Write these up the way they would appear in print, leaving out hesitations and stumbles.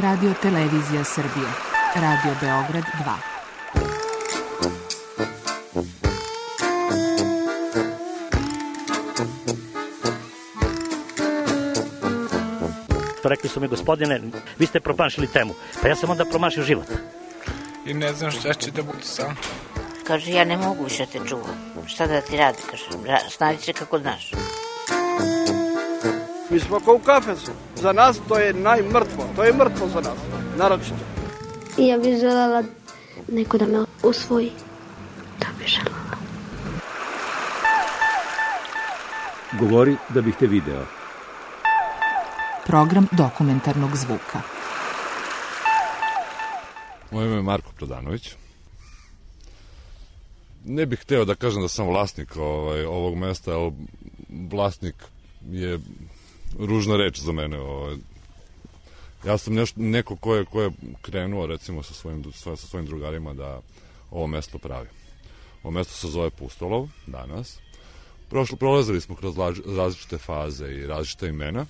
Radio Televizija Srbije, Radio Beograd 2. Rekli su mi, gospodine, vi ste promašili temu. Pa ja sam onda promašio život. I ne znam šta će da bude sam. Kaže, ja ne mogu više te čuvam. Šta da ti radi, kaže, snađi se kako znaš. Mi smo kao u kafesu. Za nas to je najmrtvo. To je mrtvo za nas, naročito. Ja bih želela neko da me usvoji. To bih želela. Govori da bih te video. Program dokumentarnog zvuka. Moje ime je Marko Prodanović. Ne bih hteo da kažem da sam vlasnik ovog mesta, ali vlasnik je ružna reč za mene. Ja sam neko ko je krenuo recimo sa svojim drugarima da ovo mesto pravi. Ovo mesto se zove Pustolov danas. Prolazili smo kroz različite faze i različite imena,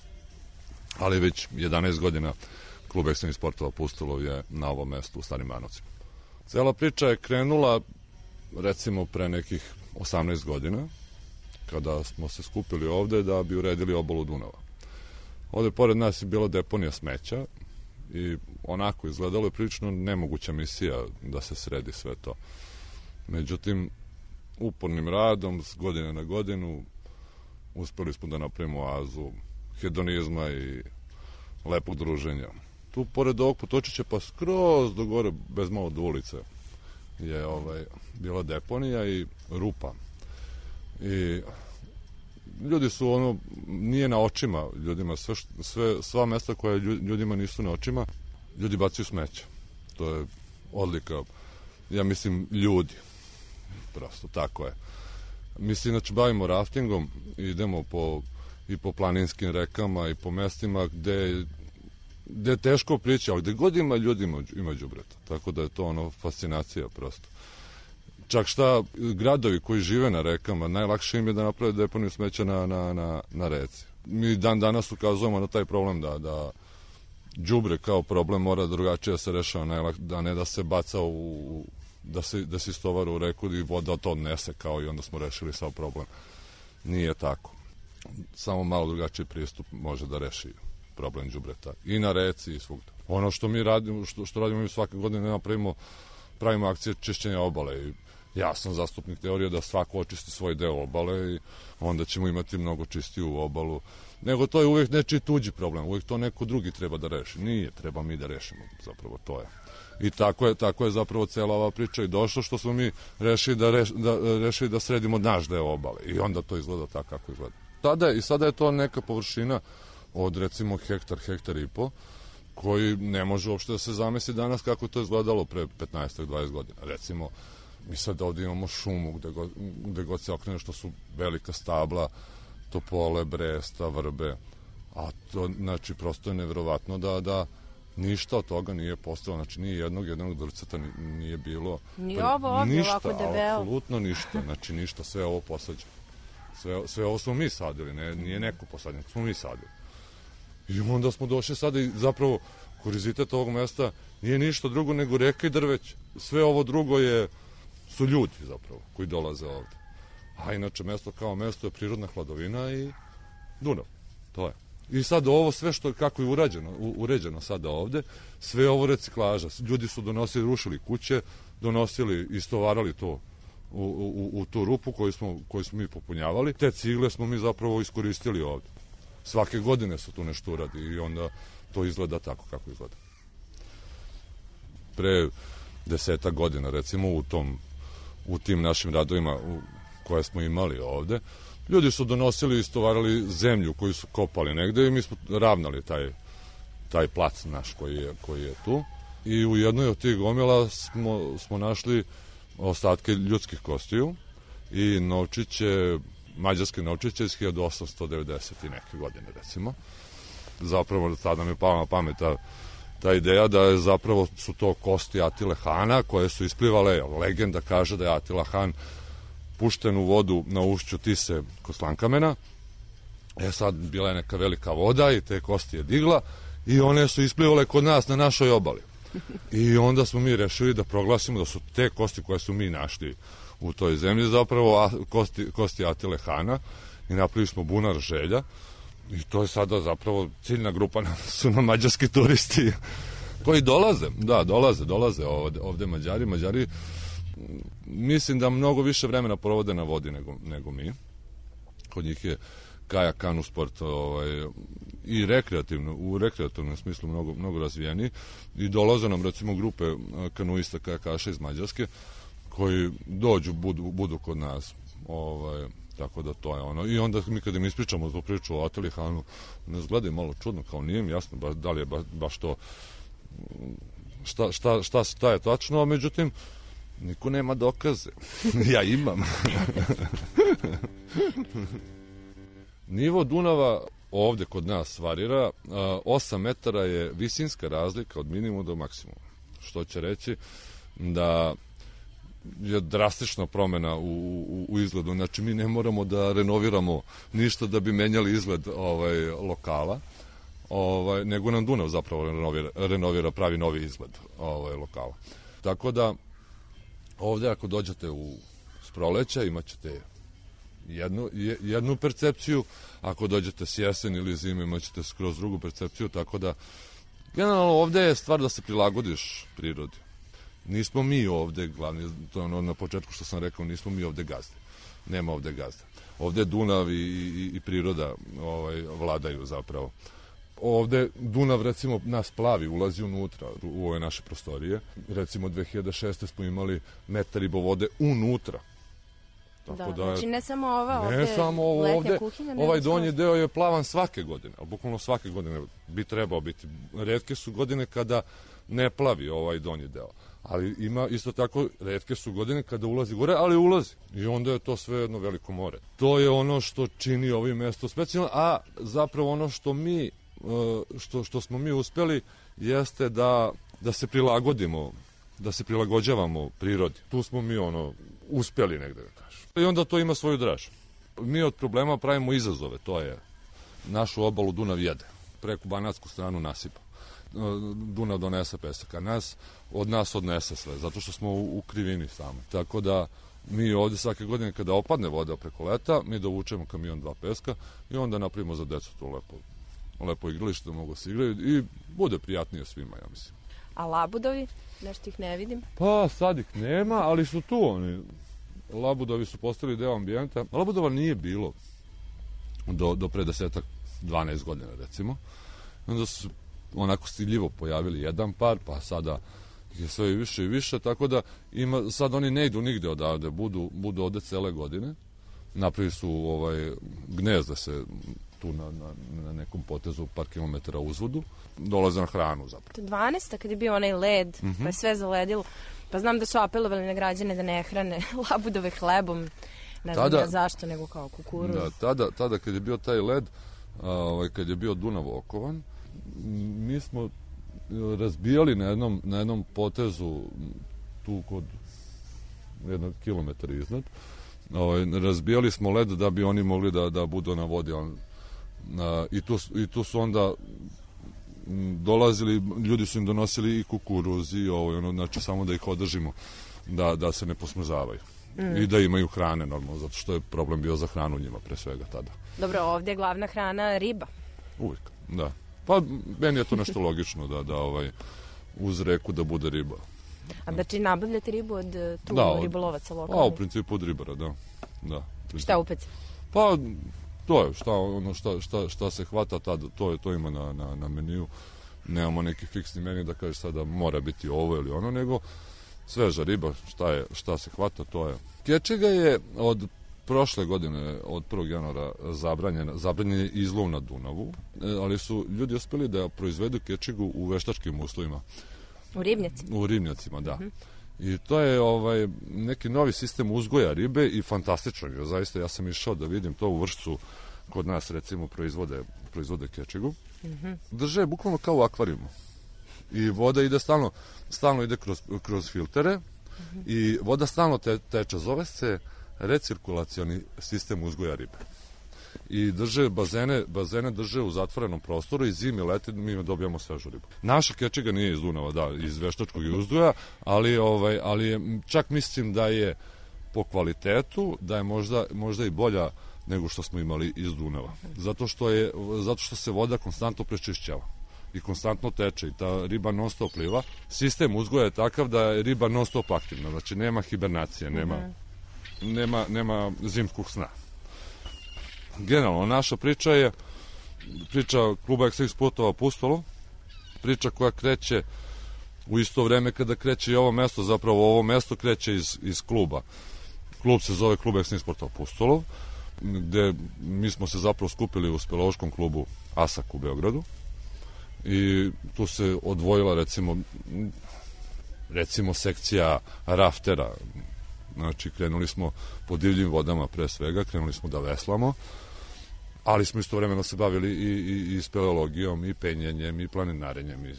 ali već 11 godina klub ekstremnih sportova Pustolov je na ovom mestu u Starim Banovcima. Cela priča je krenula recimo pre nekih 18 godina, kada smo se skupili ovde da bi uredili obalu Dunava. Ovde pored nas je bila deponija smeća i onako izgledalo je prilično nemoguća misija da se sredi sve to. Međutim, upornim radom, s godine na godinu, uspeli smo da napravimo oazu hedonizma i lepog druženja. Tu, pored ovog potočića, pa skroz do gore, bez malo do ulice, je bila deponija i rupa. I ljudi su nije na očima ljudima, sva mesta koja ljudima nisu na očima, ljudi bacaju smeće. To je odlika, ja mislim, ljudi. Prosto, tako je. Mi se inače bavimo raftingom, idemo i po planinskim rekama i po mestima gde je teško prići, ali gde god ima ljudi ima đubreta. Tako da je to fascinacija prosto. Čak šta gradovi koji žive na rekama, najlakše im je da naprave deponiju smeća na reci. Mi dan danas ukazujemo na taj problem da đubre kao problem mora drugačije da se rešava, da ne da se baca da se istovara u reku i voda to odnese kao i onda smo rešili sav problem. Nije tako. Samo malo drugačiji pristup može da reši problem đubreta i na reci i svugde. Ono što mi radimo, što radimo mi svake godine, pravimo akcije čišćenja obale i ja sam zastupnik teorije da svako očisti svoj deo obale i onda ćemo imati mnogo čistiju obalu. Nego to je uvijek nečiji tuđi problem, uvijek to neko drugi treba da reši. Nije, treba mi da rešimo, zapravo to je. I tako je zapravo cela ova priča i došlo što smo mi rešili da sredimo naš deo obale i onda to izgleda tako kako izgleda. Sada je to neka površina od recimo hektar i po, koji ne može uopšte da se zamisli danas kako je to izgledalo pre 15-20 godina. Recimo, mi sad ovdje imamo šumu gde god se okrene, što su velika stabla, topole, bresta, vrbe, a to, znači, prosto je neverovatno da ništa od toga nije postalo, znači nije jednog drceta nije bilo. Ni ovo ovdje ovako debelo. Ništa, apsolutno ništa, znači ništa, sve ovo posađeno. Sve ovo smo mi sadili, nije neko posađeno, smo mi sadili. I onda smo došli sada i zapravo kurizitet ovog mesta nije ništa drugo nego reka i drveće. Sve ovo drugo su ljudi zapravo koji dolaze ovde. A inače mesto kao mesto je prirodna hladovina i Dunav. To je. I sad ovo sve kako je uređeno sada ovde, sve ovo reciklaža. Ljudi su rušili kuće, istovarali to u tu rupu koju smo mi popunjavali. Te cigle smo mi zapravo iskoristili ovde. Svake godine se tu nešto uradi i onda to izgleda tako kako izgleda. Pre 10 godina, recimo, u tim našim radovima koje smo imali ovde, ljudi su donosili i istovarali zemlju koju su kopali negde i mi smo ravnali taj plac naš koji je tu. I u jednoj od tih gomila smo našli ostatke ljudskih kostiju i novčiće, mađarske novčiće iz 1890 i neke godine, recimo. Zapravo tada mi je pala na pamet ta ideja da je zapravo su to kosti Atile Hana koje su isplivale. Legenda kaže da je Atila Han pušten u vodu na ušću Tise kod Slankamena. Sad bila je neka velika voda i te kosti je digla i one su isplivale kod nas na našoj obali. I onda smo mi rešili da proglasimo da su te kosti koje su mi našli u toj zemlji zapravo kosti Atile Hana i napravili smo bunar Želja i to je sada zapravo ciljna grupa su nam mađarski turisti koji dolaze, dolaze ovde Mađari mislim da mnogo više vremena provode na vodi nego mi. Kod njih je kajak, kanu sport i u rekreativnom smislu mnogo razvijeni i dolaze nam recimo grupe kanuista kajakaša iz Mađarske koji dođu, budu kod nas, tako da to je ono. I onda mi kada im ispričamo tu priču o Atili Hanu, nas gledaju malo čudno, kao nije mi jasno da li je baš to šta je tačno, a međutim niko nema dokaze. Ja imam. Nivo Dunava ovde kod nas varira, 8 metara je visinska razlika od minimuma do maksimuma, što će reći da je drastična promena u izgledu. Znači mi ne moramo da renoviramo ništa da bi menjali izgled lokala, nego nam Dunav zapravo renovira pravi novi izgled lokala. Tako da ovde ako dođete s proleća imat ćete jednu percepciju, ako dođete s jesen ili zime imat ćete skroz drugu percepciju, tako da generalno ovde je stvar da se prilagodiš prirodi. Nismo mi ovde glavni, to je ono na početku što sam rekao, nismo mi ovde gazde. Nema ovde gazde. Ovde Dunav i priroda vladaju zapravo. Ovde Dunav recimo nas plavi, ulazi unutra u ove naše prostorije. Recimo 2006. smo imali metar vode unutra. Tako znači ne samo ova ne samo ovo ovde, kuhinja, ovaj donji deo je plavan svake godine, a bukvalno svake godine bi trebao biti. Retke su godine kada ne plavi ovaj donji deo, ali ima isto tako retke su godine kada ulazi gore, ali ulazi i onda je to sve jedno veliko more. To je ono što čini ovo mesto specijalno, a zapravo ono što mi što smo mi uspeli jeste da se prilagodimo, da se prilagođavamo prirodi. Tu smo mi uspeli negde da kažem. I onda to ima svoju draž. Mi od problema pravimo izazove, to je našu obalu Dunav jede, preko banatsku stranu nasipa. Dunav donese pesak, a od nas odnese sve, zato što smo u krivini sami. Tako da mi ovde svake godine kada opadne voda preko leta, mi dovučemo kamion 2 peska i onda napravimo za decu to lepo igralište da mogu se igraju i bude prijatnije svima, ja mislim. A labudovi? Nešto ih ne vidim. Pa sad ih nema, ali su tu oni. Labudovi su postali deo ambijenta. Labudova nije bilo do pre 10-12 godina recimo. Onda su onako stiljivo pojavili jedan par, pa sada je sve više i više, tako da sad oni ne idu nigde odavde, budu ovde cele godine. Napravili su gnezda se tu na nekom potezu par kilometara uzvodu, dolaze na hranu zapravo. 12. kad je bio onaj led, pa je sve zaledilo, pa znam da su apelovali na građane da ne hrane labudove hlebom, ne znam ja zašto, nego kao kukuruz. Da, tada kad je bio taj led, kad je bio Dunav okovan, mi smo razbijali na jednom potezu tu kod 1 kilometra iznad, razbijali smo led da bi oni mogli da budu na vodi. I tu su onda dolazili, ljudi su im donosili i kukuruz i znači samo da ih održimo da se ne posmrzavaju i da imaju hrane normalno, zato što je problem bio za hranu njima pre svega tada. Dobro, ovdje je glavna hrana riba. Uvijek, da. Pa meni je to nešto logično da uz reku da bude riba. A znači nabavljate ribu od ribolovaca lokalnih? U principu od ribara, da. Šta upeci? Pa to je šta se hvata tada, to ima na meniju. Nemamo neki fiksni meni da kaže sada mora biti ovo ili ono, nego sveža riba, šta se hvata, to je. Kečega je od prošle godine, od 1. januara zabranjen je izlov na Dunavu, ali su ljudi uspeli da proizvedu kečegu u veštačkim uslovima. U ribnjacima? U ribnjacima, da. I to je neki novi sistem uzgoja ribe i fantastično je, zaista ja sam išao da vidim to u Vršcu, kod nas recimo proizvode kečegu. Drže bukvalno kao u akvarijumu. I voda ide stalno ide kroz filtere i voda stalno teče, zove se recirkulacioni sistem uzgoja ribe. i drže bazene drže u zatvorenom prostoru i zimi leti mi dobijamo svežu ribu. Naša kečiga nije iz Dunava, da, iz Veštačkog i Uzduja, ali je, čak mislim da je po kvalitetu, da je možda i bolja nego što smo imali iz Dunava. Zato što se voda konstantno prečišćava i konstantno teče i ta riba non stop pliva. Sistem uzgoja je takav da je riba non stop aktivna, znači nema hibernacije, nema zimskog sna. Generalno, naša priča je priča kluba Ekstrem sportova Apostolov, priča koja kreće u isto vreme kada kreće i ovo mesto, zapravo ovo mesto kreće iz kluba. Klub se zove klub Ekstrem sportova Apostolov, gde mi smo se zapravo skupili u speleološkom klubu ASAK u Beogradu i tu se odvojila recimo sekcija raftera. Znači, krenuli smo po divljim vodama pre svega, krenuli smo da veslamo, ali smo istovremeno se bavili i speleologijom, i penjenjem, i planinarenjem, i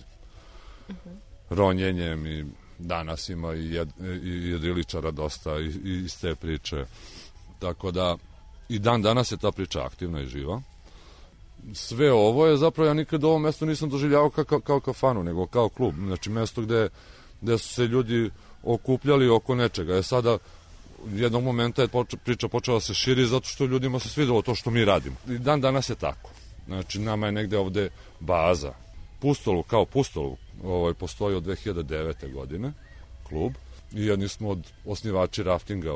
ronjenjem, i danas ima i jedriličara dosta iz te priče. Tako da i dan danas je ta priča aktivna i živa. Sve ovo je zapravo, ja nikad ovo mesto nisam doživljavao kao kafanu, nego kao klub. Znači, mesto gde su se ljudi okupljali oko nečega. Sada jednog momenta je priča počela se širi zato što ljudima se svidelo to što mi radimo. I dan danas je tako. Znači, nama je negde ovde baza. Pustolov, kao Pustolov, postoji od 2009. godine, klub, i jedni smo od osnivači raftinga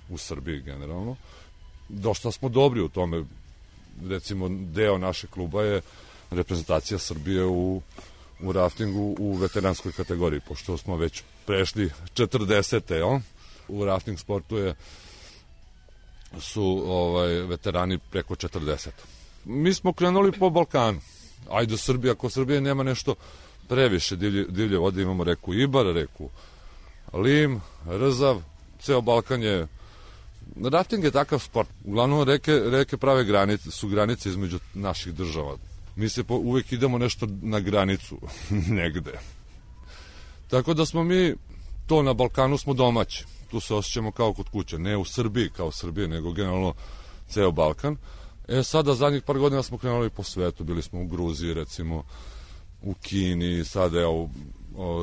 u Srbiji generalno. Dosta smo dobri u tome. Recimo, deo našeg kluba je reprezentacija Srbije u raftingu u veteranskoj kategoriji, pošto smo već prešli 40. U rafting sportu su veterani preko 40. Mi smo krenuli po Balkanu. Ajde Srbija, ako Srbije nema nešto previše divlje vode, imamo reku Ibar, reku Lim, Rzav, ceo Balkan je... Rafting je takav sport. Uglavnom reke prave granice između naših država. Mi se uvek idemo nešto na granicu, negde. Tako da smo mi, to na Balkanu smo domaći. Tu se osjećamo kao kod kuće. Ne u Srbiji kao Srbije, nego generalno ceo Balkan. Sada zadnjih par godina smo krenuli po svetu. Bili smo u Gruziji, recimo, u Kini. Sada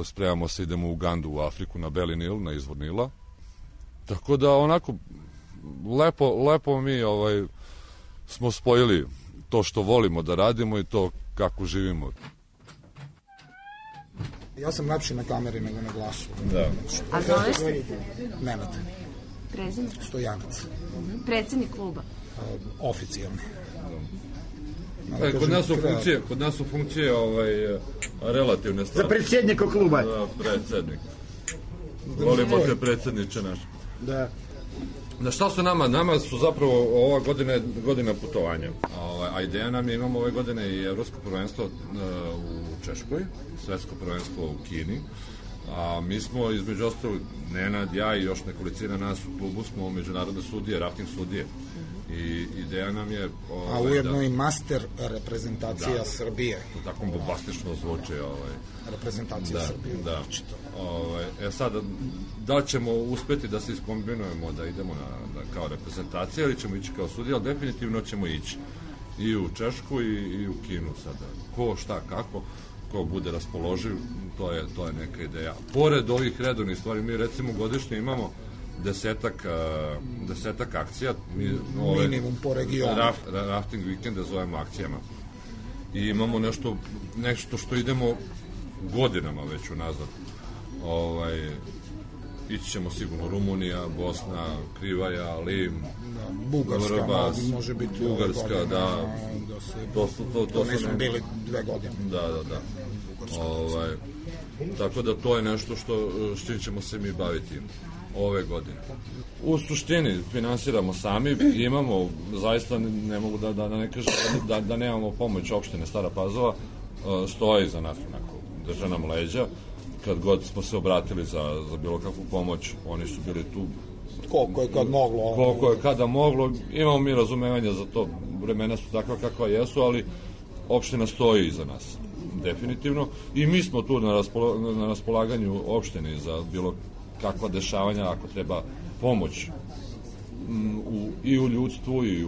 spremamo se, idemo u Ugandu, u Afriku, na Beli Nil, na izvor Nila. Tako da onako, lepo mi smo spojili to što volimo da radimo i to kako živimo. Ja sam lepši na kameri nego na glasu. Da. A zove se? Nenad. Prezimir? Stojanac. Predsednik kluba? Oficijalni. Kod nas su funkcije relativne stvari. Za predsjednika kluba. Da, predsjednik. Volimo te predsjedniče naš. Da. Na šta su nama? Nama su zapravo ova godina putovanja. A ideja nam je, imamo ove godine i evropsko prvenstvo u Češkoj, svetsko prvenstvo u Kini. A mi smo između ostalog, Nenad, ja i još nekolicina nas u klubu smo međunarodne sudije, rafting sudije. I ideja nam je... A ujedno i master reprezentacija Srbije. To tako bombastično zvuči. Reprezentacija Srbije. Da. Sada, da li ćemo uspeti da se iskombinujemo, da idemo kao reprezentacija, ili ćemo ići kao sudija, ali definitivno ćemo ići i u Češku i u Kinu sada. Ko, šta, kako, ko bude raspoloživ, to je neka ideja. Pored ovih redovnih stvari, mi recimo godišnje imamo desetak akcija. Minimum po regionu. Rafting vikende zovemo akcijama. I imamo nešto što idemo godinama već unazad. Ići ćemo sigurno Rumunija, Bosna, Krivaja, Lim, Bugarska, Vrbas, može biti Bugarska, da. To nismo bili 2 godine. Da. Tako da to je nešto s čim ćemo se mi baviti ove godine. U suštini finansiramo sami, imamo, zaista ne mogu da ne kažem da nemamo pomoć opštine Stara Pazova, stoji za nas, onako, drže nam leđa. Kad god smo se obratili za bilo kakvu pomoć, oni su bili tu. Koliko je kad moglo. Koliko je kada moglo, imamo mi razumevanja za to, vremena su takva kakva jesu, ali opština stoji iza nas, definitivno. I mi smo tu na raspolaganju opštini za bilo kakva dešavanja, ako treba pomoć i u ljudstvu i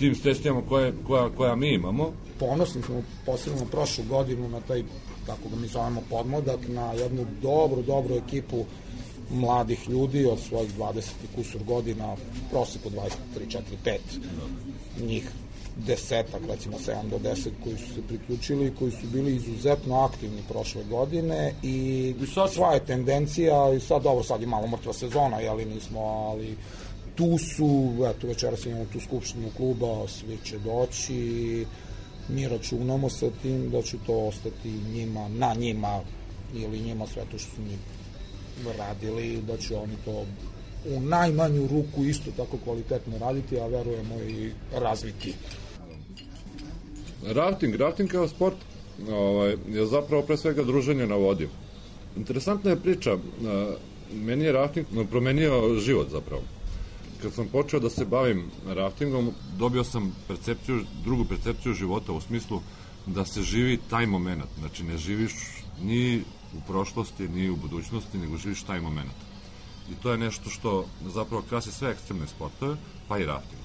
tim sredstvima koja mi imamo. Ponosni smo posebno prošlu godinu na taj, kako ga mi zovemo, podmladak, na jednu dobru ekipu mladih ljudi od svojih 20 i kusur godina, proseku 23, 4, 5, njih 10, recimo 7 do 10 koji su se priključili i koji su bili izuzetno aktivni prošle godine i sva je tendencija, i sad je malo mrtva sezona, jeli nismo, ali tu su, eto večeras imamo tu skupštinu kluba, svi će doći, mi računamo sa tim da će to ostati njima, na njima ili njima sve to što su mi radili, da će oni to u najmanju ruku isto tako kvalitetno raditi, a verujemo i razviti. Rafting kao sport je zapravo pre svega druženje na vodi. Interesantna je priča, meni je rafting promenio život zapravo. Kad sam počeo da se bavim raftingom, dobio sam drugu percepciju života u smislu da se živi taj moment. Znači ne živiš ni u prošlosti, ni u budućnosti, nego živiš taj moment. I to je nešto što zapravo krasi sve ekstremne sportove, pa i rafting.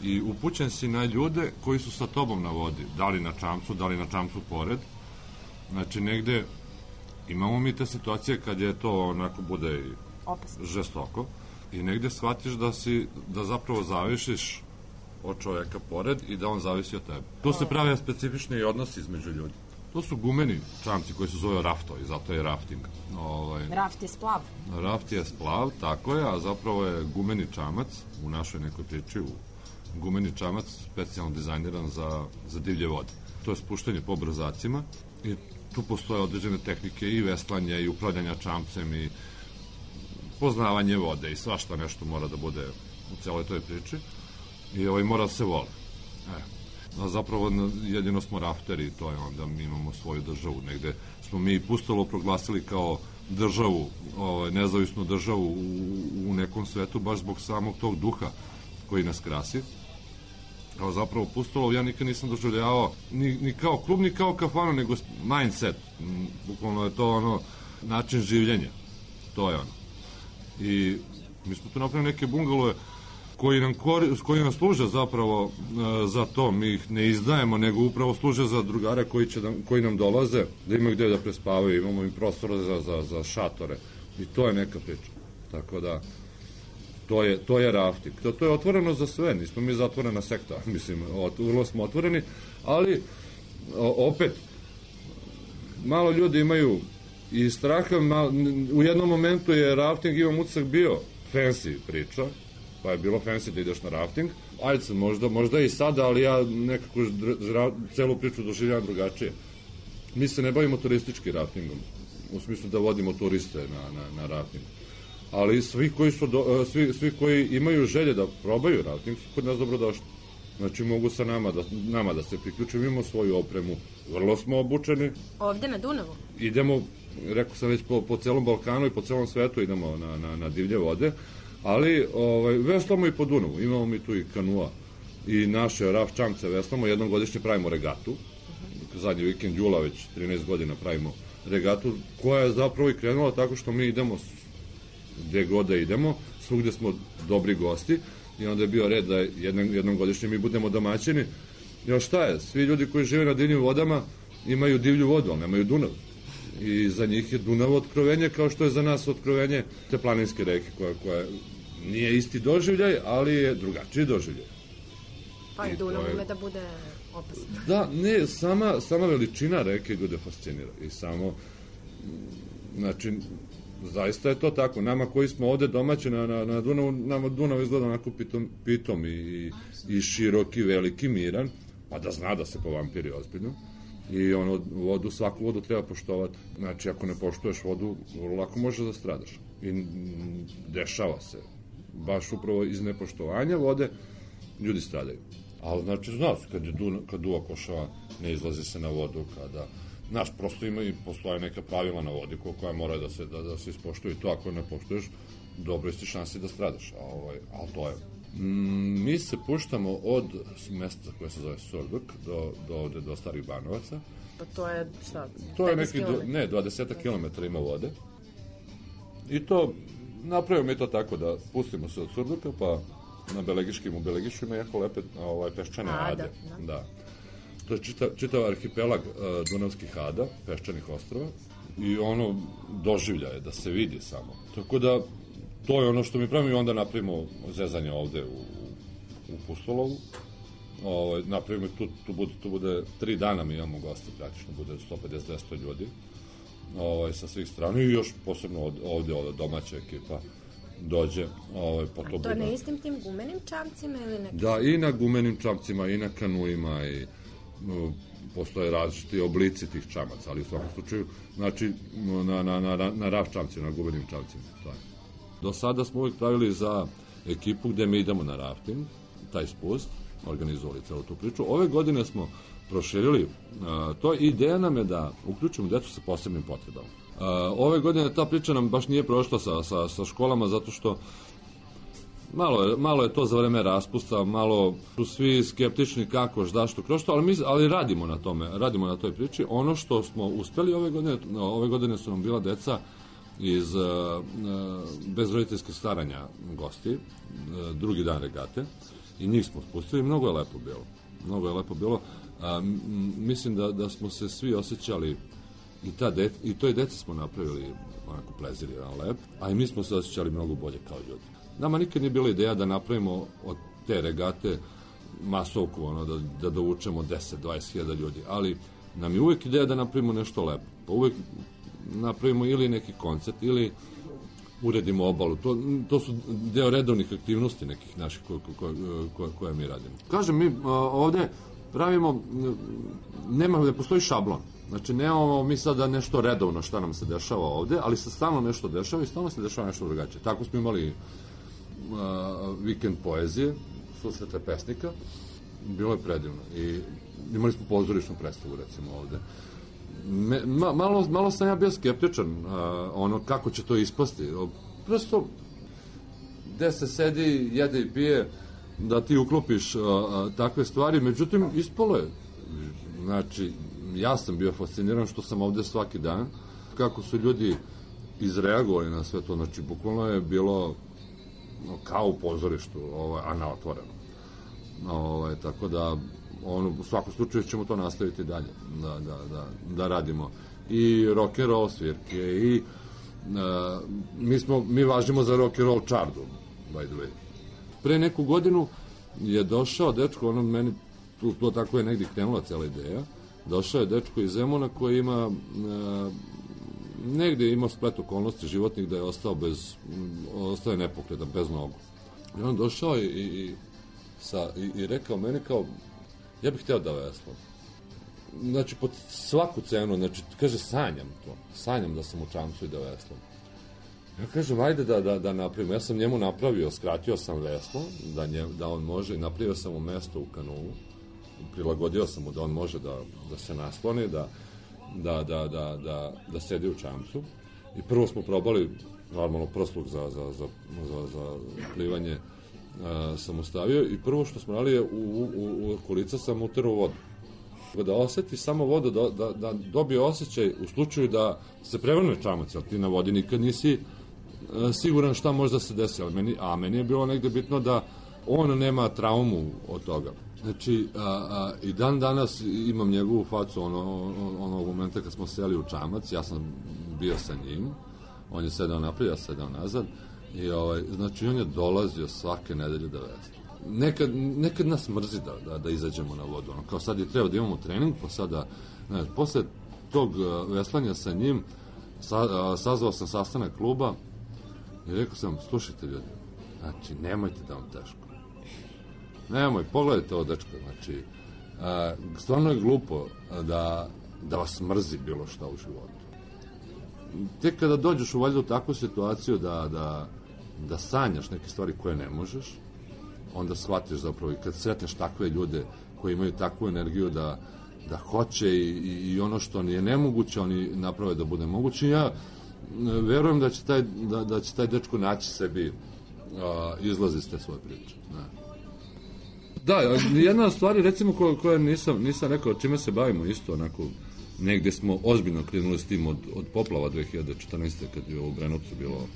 I upućen si na ljude koji su sa tobom na vodi, da li na čamcu pored. Znači negde imamo mi te situacije kad je to onako bude žestoko i negde shvatiš da zapravo zavisiš od čovjeka pored i da on zavisi od tebe. Tu se prave specifični odnosi između ljudi. To su gumeni čamci koji se zove rafto i zato je rafting. Raft je splav. Raft je splav, tako je, a zapravo je gumeni čamac u našoj nekoj priči, gumeni čamac specijalno dizajniran za divlje vode. To je spuštanje po obrazacima i tu postoje određene tehnike i veslanja i upravljanja čamcem i poznavanje vode i svašta nešto mora da bude u celoj toj priči i mora da se vole. A zapravo jedino smo rafteri, to je onda mi imamo svoju državu. Negde smo mi Pustolo proglasili kao državu, nezavisnu državu u nekom svetu, baš zbog samog tog duha koji nas krasi. A zapravo Pustolo ja nikad nisam doživljavao ni kao klub, ni kao kafanu, nego mindset. Bukvalno je to način življenja. To je ono. I mi smo tu napravili neke bungalove koji nam služe zapravo za to. Mi ih ne izdajemo, nego upravo služe za drugare koji nam dolaze, da imaju gde da prespavaju, imamo i prostora za šatore. I to je neka priča. Tako da, to je rafting. To je otvoreno za sve, nismo mi zatvorena sekta. Mislim, vrlo smo otvoreni, ali opet, malo ljudi imaju i straha, u jednom momentu je rafting, imam utisak, bio fancy priča, pa je bilo fancy da ideš na rafting. Ajde se, možda i sada, ali ja nekako celu priču doživljam drugačije. Mi se ne bavimo turistički raftingom, u smislu da vodimo turiste na rafting. Ali svi koji imaju želje da probaju rafting su kod nas dobrodošli. Znači mogu sa nama da se priključimo, imamo svoju opremu, vrlo smo obučeni. Ovde na Dunavu? Idemo, rekao sam već, po celom Balkanu i po celom svetu idemo na divlje vode, ali veslamo i po Dunavu, imamo mi tu i kanua i naše raf čamce veslamo, jednom godišnje pravimo regatu, zadnji vikend jula već 13 godina pravimo regatu, koja je zapravo i krenula tako što mi idemo gde god da idemo, svugde smo dobri gosti i onda je bio red da jednom godišnje mi budemo domaćini. Još šta je, svi ljudi koji žive na divljim vodama imaju divlju vodu, ali nemaju Dunav. I za njih je Dunav otkrovenje, kao što je za nas otkrovenje te planinske reke, koja nije isti doživljaj, ali je drugačiji doživljaj. Pa i Dunav ume da bude opasno. Da, ne, sama veličina reke ljude fascinira i samo, znači, zaista je to tako. Nama koji smo ovde domaći na Dunavu, nama Dunav izgleda onako pitom i široki, veliki, miran, pa da zna da se povampiri ozbiljno. I svaku vodu treba poštovati. Znači, ako ne poštuješ vodu, lako možeš da stradaš. I dešava se. Baš upravo iz nepoštovanja vode ljudi stradaju. Ali, znači, znaš, kad duva košava, ne izlazi se na vodu, znaš, prosto postoje neka pravila na vodi koja mora da se ispoštuju. To ako ne poštuješ, dobro isti šansi da stradaš. Ali to je. Mi se puštamo od mesta koje se zove Surduk do Starih Banovaca. Pa to je šta? To je neki, 20 km ima vode. I to, napravimo mi to tako da pustimo se od Surduka, pa na Belegiškim. U Belegišu ima jako lepe peščane ade. Da. To je čitav arhipelag Dunavskih ada, peščanih ostrava, i ono doživlja je da se vidi samo. Tako da, to je ono što mi pravimo i onda napravimo zezanje ovde u Pustolovu. Napravimo tu bude 3 dana mi imamo goste, praktično bude 150-200 ljudi sa svih strana i još posebno ovde domaća ekipa dođe. To na istim tim gumenim čamcima ili neki? Da, i na gumenim čamcima, i na kanuima, i postoje različiti oblici tih čamaca, ali u svakom slučaju, znači, na raft čamcima, na gumenim čamcima. Do sada smo uvijek pravili za ekipu gde mi idemo na rafting, taj spust, organizovali celu tu priču. Ove godine smo proširili to i ideja nam je da uključimo decu sa posebnim potrebama. Ove godine ta priča nam baš nije prošla sa školama zato što malo je to za vreme raspusta, malo su svi skeptični kako, zašto, kroz to, ali radimo na tome, radimo na toj priči. Ono što smo uspeli ove godine su nam bila deca iz bez roditeljskih staranja gosti, drugi dan regate, i njih smo spustili, mnogo je lepo bilo. Mislim da smo se svi osjećali i toj deci smo napravili onako plezir jedan lep, a i mi smo se osjećali mnogo bolje kao ljudi. Nama nikad nije bila ideja da napravimo od te regate masovku, da dovučemo 10-20 hiljada ljudi, ali nam je uvek ideja da napravimo nešto lepo. Pa uvek napravimo ili neki koncert, ili uredimo obalu. To su deo redovnih aktivnosti nekih naših koje mi radimo. Kažem, mi ovde pravimo, ne postoji šablon. Znači, nemamo mi sada nešto redovno šta nam se dešava ovde, ali se stalno nešto dešava i stalno se dešava nešto drugačije. Tako smo imali vikend poezije, susrete pesnika, bilo je predivno. I imali smo pozorišnu predstavu, recimo, ovde. Malo sam ja bio skeptičan kako će to ispasti. Prosto, gde se sedi, jede i pije, da ti uklopiš takve stvari, međutim, ispalo je. Znači, ja sam bio fasciniran što sam ovde svaki dan, kako su ljudi izreagovali na sve to, znači, bukvalno je bilo kao u pozorištu, a na otvoreno. Tako da, u svakom slučaju ćemo to nastaviti dalje, da radimo. I rock and roll svirke, i mi važimo za rock and roll čardu, by the way. Pre neku godinu je došao dečko, meni to tako je negdje krenula cela ideja, došao je dečko iz Zemuna koji ima negdje imao splet okolnosti životnih da je ostao je nepokretan, bez nogu. I on došao i rekao meni kao, ja bih hteo da veslam. Znači, pod svaku cenu, znači, kaže, sanjam da sam u čamcu i da veslam. Ja kažem, ajde da napravimo. Ja sam njemu napravio, skratio sam veslo, da on može, i napravio sam mu mesto u kanulu, prilagodio sam mu da on može da se nasloni, da sedi u čamcu. I prvo smo probali, normalno, prsluk za plivanje sam ustavio, i prvo što smo radili je u kolica sam uterao vodu. Da oseti samo vodu, da dobije osjećaj u slučaju da se prevrne čamac, ali ti na vodi nikad nisi siguran šta može da se desi, a meni je bilo negde bitno da on nema traumu od toga. Znači, i dan danas imam njegovu facu onog momenta kad smo seli u čamac, ja sam bio sa njim, on je sedao naprijed, ja sedao nazad, i znači on je dolazio svake nedelje da vesla. Nekad nas mrzi da izađemo na vodu, kao sad je treba da imamo trening, pa sada, posle tog veslanja sa njim sazvao sam sastanak kluba i rekao sam, slušajte ljudi, znači nemojte da vam teško, pogledajte ovo dečko, znači stvarno je glupo da vas mrzi bilo šta u životu. Tek kada dođeš valjda u takvu situaciju da sanjaš neke stvari koje ne možeš, onda shvatiš zapravo, i kad sretneš takve ljude koji imaju takvu energiju da hoće i ono što nije nemoguće, oni naprave da bude moguće. Ja verujem da će taj dečko naći sebi izlaz iz te svoje priče. Da, jedna stvar, recimo, koja nisam rekao, čime se bavimo isto, onako, negde smo ozbiljno krenuli s tim od poplava 2014. kad je u Brenovcu bilo,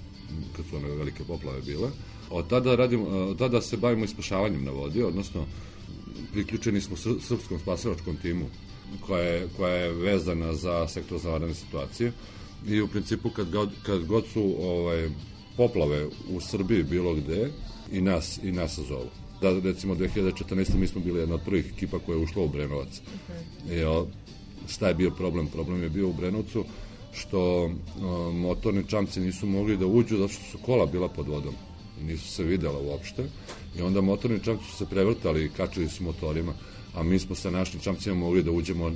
kad su one velike poplave bile, Od tada se bavimo ispašavanjem na vodi, odnosno priključeni smo srpskom spasilačkom timu koja je vezana za sektor za vanredne situacije i u principu kad god su poplave u Srbiji bilo gde i nas zovu. Da, recimo 2014. mi smo bili jedna od prvih ekipa koja je ušla u Brenovac. Šta je bio problem? Problem je bio u Brenovcu što motorni čamci nisu mogli da uđu zato što su kola bila pod vodom. Nisu se videla uopšte. I onda motorni čamci su se prevrtali i kačili su motorima, a mi smo sa našim čamcima mogli da uđemo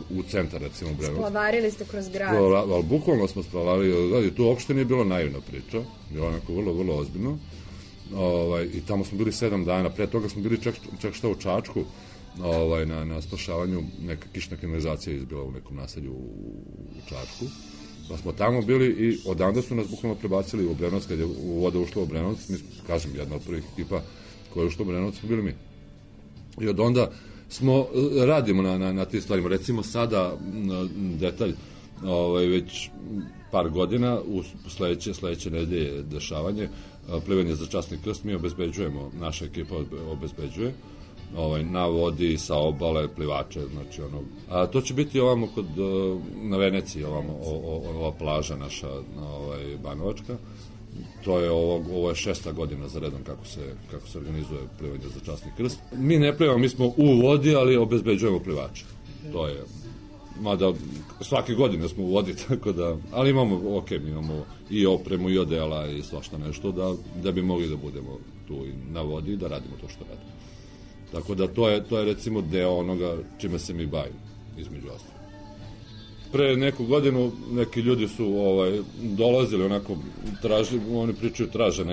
u centar, recimo Brenovac. Splavarili ste kroz grad. Ali bukvalno smo splavarili, tu uopšte nije bilo naivna priča, bilo onako vrlo, vrlo ozbiljno. I tamo smo bili 7 dana, pre toga smo bili čak šta u Čačku, na spašavanju, neka kišna kanalizacija izbila u nekom naselju u Čačku, pa smo tamo bili i odanda su nas bukvalno prebacili u Brenovac, kad je voda ušla u Brenovac, mi, kažem, jedna od prvih ekipa koja je ušla u Brenovac smo bili mi. I od onda radimo na tim stvarima, recimo sada detalj, već par godina, u sledeće nedelje dešavanje, plivanje za časni krst, mi obezbeđujemo, naša ekipa obezbeđuje, na vodi, sa obale, plivače, znači to će biti ovamo na Veneciji, ova plaža naša, Banovačka, to je ovo je 6. godina za redom kako se organizuje plivanje za časni krst. Mi ne plivamo, mi smo u vodi, ali obezbeđujemo plivače, to je, mada svake godine smo u vodi, tako da, ali imamo, mi imamo i opremu i odela i svašta nešto da bi mogli da budemo tu na vodi i da radimo to što radimo. Tako da to je recimo deo onoga čime se mi bavimo, između ostalog. Pre neku godinu neki ljudi su dolazili onako, oni pričaju traže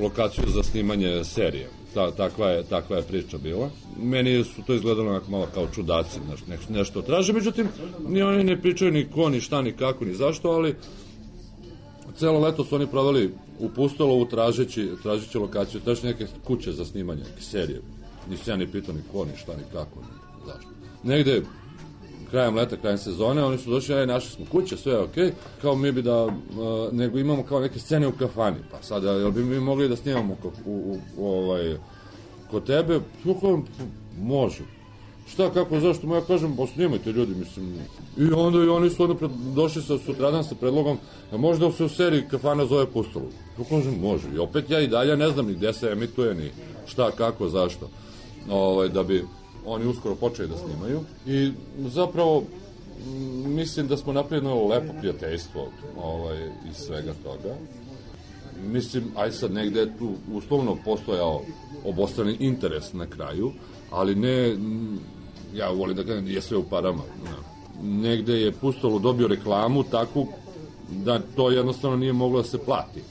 lokaciju za snimanje serije. Takva je priča bila. Meni su to izgledalo onako malo kao čudaci, nešto traže, međutim, ni oni ne pričaju ni ko, ni šta, ni kako, ni zašto, ali celo leto su oni proveli u Pustolovu tražeći lokaciju, tražeći neke kuće za snimanje, neke serije. Nisu ja ni pitao ni ko, ni šta, ni kako, ni zašto. Negde, krajem leta, krajem sezone, oni su došli, našli smo kuće, sve je okej, kao mi bi nego imamo kao neke scene u kafani, pa sada, jel bi mi mogli da snimamo kod tebe? Može. Šta, kako, zašto? Ja kažem, snimajte ljudi, mislim. I onda oni su došli sutradan sa predlogom, možda se u seriji kafana zove Pustolov. Ja kažem, može. I opet ja i dalje ne znam ni gde se emituje, ni šta, kako, zašto. Da bi oni uskoro počeli da snimaju. I zapravo, mislim da smo napravili lepo prijateljstvo iz svega toga. Mislim, sad negde je tu uslovno postojao obostrani interes na kraju, ali ne, ja volim da kažem, je sve u parama. Negde je Pustolo dobio reklamu takvu da to jednostavno nije moglo da se plati.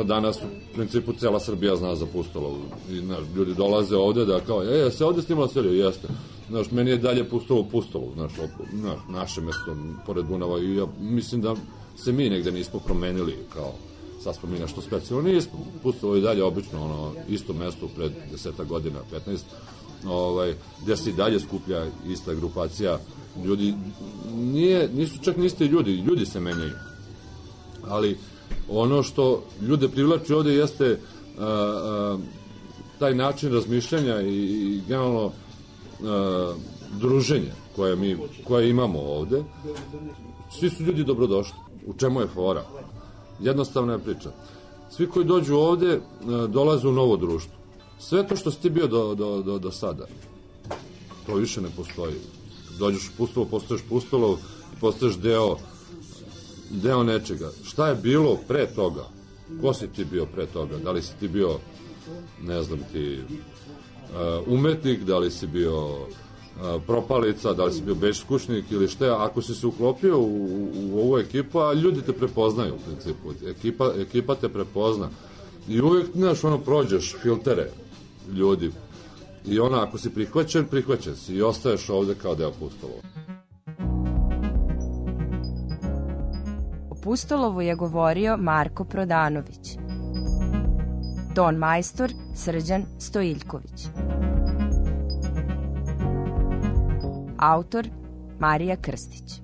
Danas u principu cela Srbija zna za Pustolovu. Ljudi dolaze ovde da kao, se ovde snimala serija, jeste. Meni je dalje Pustolov, naše mesto pored Dunava i ja mislim da se mi negde nismo promenili kao sad smo mi nešto specijalno, nismo Pustolovo i dalje obično isto mesto pred 10 godina, 15, gde se i dalje skuplja ista grupacija ljudi, nisu čak ni isti ljudi se menjaju, ali ono što ljude privlači ovde jeste taj način razmišljanja i generalno druženje koje imamo ovde. Svi su ljudi dobrodošli. U čemu je fora? Jednostavna je priča. Svi koji dođu ovde dolaze u novo društvo. Sve to što si ti bio do sada, to više ne postoji. Dođeš u Pustolov, postaješ Pustolov, postaješ deo nečega. Šta je bilo pre toga? Ko si ti bio pre toga? Da li si ti bio, ne znam ti, umetnik, da li si bio propalica, da li si bio beskućnik ili šta, ako si se uklopio u ovu ekipu, a ljudi te prepoznaju u principu, ekipa te prepozna i uvijek, prođeš filtere ljudi i ako si prihvaćen si i ostaješ ovde kao deo Pustolova. O Pustolovu je govorio Marko Prodanović, ton majstor Srđan Stojiljković, autor Marija Krstić.